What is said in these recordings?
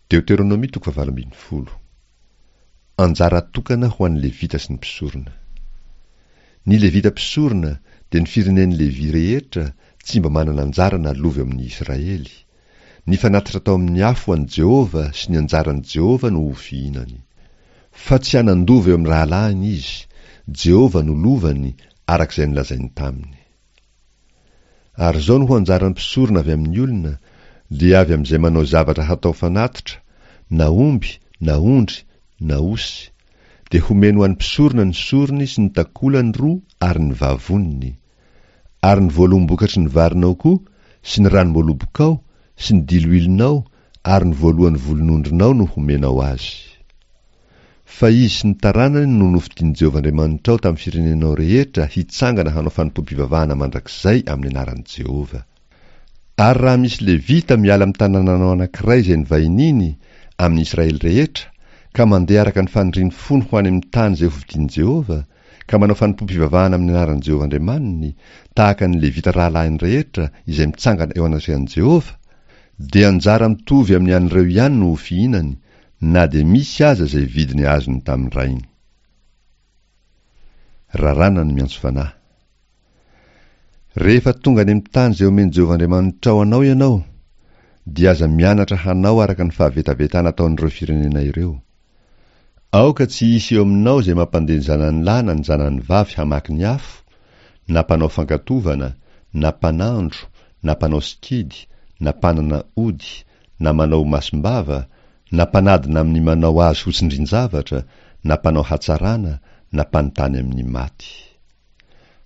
Deoteronomia toko fahavalo ambin'ny folo. Anjara tokana ho an'ny Levita sy ny mpisorona. Ny Levita mpisorona dia ny firenen'i Levy rehetra tsy mba manana anjara na lova eo amin'ny Israely. Ny fanatitra atao amin'ny afo ho an'i Jehovah sy ny anjaran'i Jehovah no ho fihinany. Fa tsy hanan-dova eo amin'ny rahalahiny izy, Jehovah no lovany, araka izay nolazainy taminy. Ary izao no ho anjaran'ny mpisorona avy amin'ny olona, dia avy amin'izay manao zavatra hatao fanatitra, na omby, na ondry, na osy, dia homeny ho an'ny mpisorona ny sorony sy ny takolany roa ary ny vavoniny. Ary ny voaloham-bokatry ny varinao koa, sy ny ranom-boalobokao, sy ny diloilonao, ary ny voalohan'ny volon'ondrinao no homenao azy. Fa izy sy ny taranany no nofidin'i Jehovah Andriamanitrao tamin'ny firenenao rehetra hitsangana hanao fanompoam-pivavahana mandrakizay amin'ny anaran'i Jehovah. Ary raha misy Levita miala amin'ny tanànanao anankiray izay nivahiniany, amin'ny Israely rehetra, ka mandeha araka ny fanirian'ny fony ho any amin'ny tany izay hofidin'i Jehovah, ka manao fanompoam-pivavahana amin'ny anaran'i Jehovah Andriamaniny, tahaka ny Levita rahalahiny rehetra izay mitsangana eo anatrehan'i Jehovah, dia anjara mitovy amin'ny an'ireo ihany no ho fihinany, na dia misy aza izay vidiny azony tamin'ny rainy. Raràna ny miantso fanahy. Rehefa tonga any amin'ny tany izay omen'i Jehovah Andriamanitrao anao ianao, dia aza mianatra hanao araka ny fahavetavetana ataon'ireo firenena ireo. Aoka tsy hisy eo aminao izay mampandeha ny zanany lahy na ny zanany vavy hamaky ny afo, na mpanao fankatovana, na mpanandro, na mpanao sikidy, na mpanana ody, na manao masom-bava, na mpanadina amin'ny manao azy ho tsindrin-javatra, na mpanao hatsarana, na mpanontany amin'ny maty.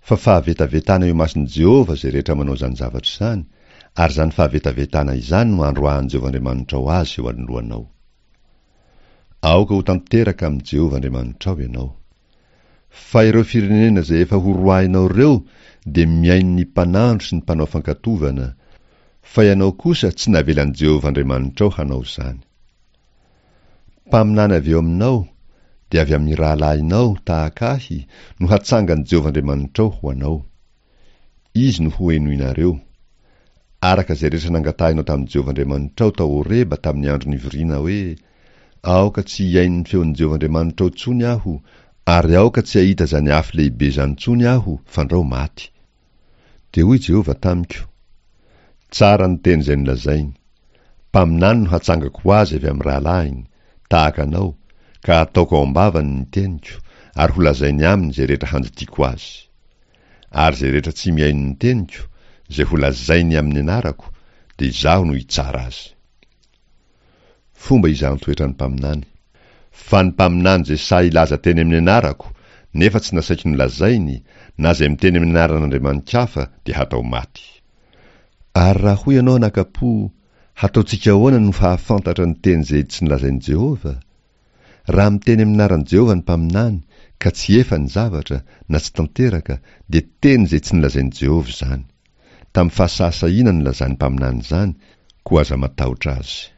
Fa fahavetavetana eo imason'i Jehovah izay rehetra manao izany zavatra izany, ary izany fahavetavetana izany no androahan'i Jehovah Andriamanitrao azy eo anoloanao. Aoka ho tanteraka amin'i Jehovah Andriamanitrao ianao. Fa ireo firenena izay efa horoahinao ireo dia mihaino ny mpanandro sy ny mpanao fankatovana, fa ianao kosa tsy navelan'i Jehovah Andriamanitrao hanao izany. Mpaminany avy eo aminao, dia avy amin'ny rahalahinao tahaka ahy, no hatsangan'i Jehovah Andriamanitrao ho anao. Izy no hohenoinareo. Araka izay rehetra nangatahinao tamin'i Jehovah Andriamanitrao tao Horeba tamin'ny andro nivoriana hoe, Aoka tsy hihaino ny feon'i Jehovah Andriamanitrao intsony aho, ary aoka tsy hahita izany afo lehibe izany intsony aho, fandrao maty. Dia hoy Jehovah tamiko, Tsara ny teny izay nolazainy. Mpaminany no hatsangako ho azy avy amin'ny rahalahiny, tahaka anao, ka hataoko ao am-bavany ny teniko, ary holazainy aminy izay rehetra handidiako azy. Ary izay rehetra tsy mihaino ny teniko, izay holazainy amin'ny anarako, dia izaho no hitsara azy. Fomba izahan-toetra ny mpaminany. Fa ny mpaminany izay sahy hilaza teny amin'ny anarako, nefa tsy nasaiko nolazainy, na izay miteny amin'ny anaran'andriamani-kafa, dia hatao maty. Ary raha hoy ianao anaka-po, Hataontsika ahoana no hahafantatra ny teny izay tsy nolazain'i Jehovah? Raha miteny amin'ny anaran'i Jehovah ny mpaminany, ka tsy efa ny zavatra, na tsy tanteraka, dia teny izay tsy nolazain'i Jehovah izany. Tamin'ny fahasahisahiana nilazan'ny mpaminany izany, koa aza matahotra azy.